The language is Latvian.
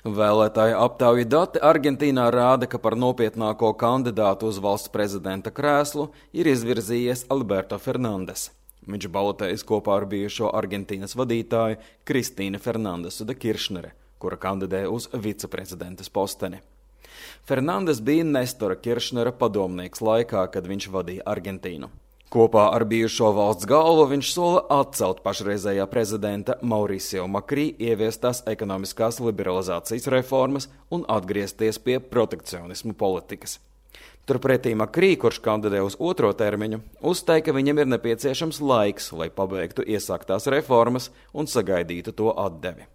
Vēlētāju aptauju dati Argentīnā rāda, ka par nopietnāko kandidātu uz valsts prezidenta krēslu ir izvirzījies Alberto Fernandes. Viņš balotējas kopā ar bijušo Argentīnas vadītāju Kristīnu Fernandesu de Kiršnere, kura kandidē uz viceprezidentas posteni. Fernandes bija Nestora Kiršnera padomnieks laikā, kad viņš vadīja Argentīnu. Kopā ar bijušo valsts galvu viņš sola atcelt pašreizējā prezidenta Mauricio Macri ieviestās ekonomiskās liberalizācijas reformas un atgriezties pie protekcionismu politikas. Turpretī Macri, kurš kandidē uz otro termiņu, uzstāja, ka viņam ir nepieciešams laiks, lai pabeigtu iesāktās reformas un sagaidītu to atdevi.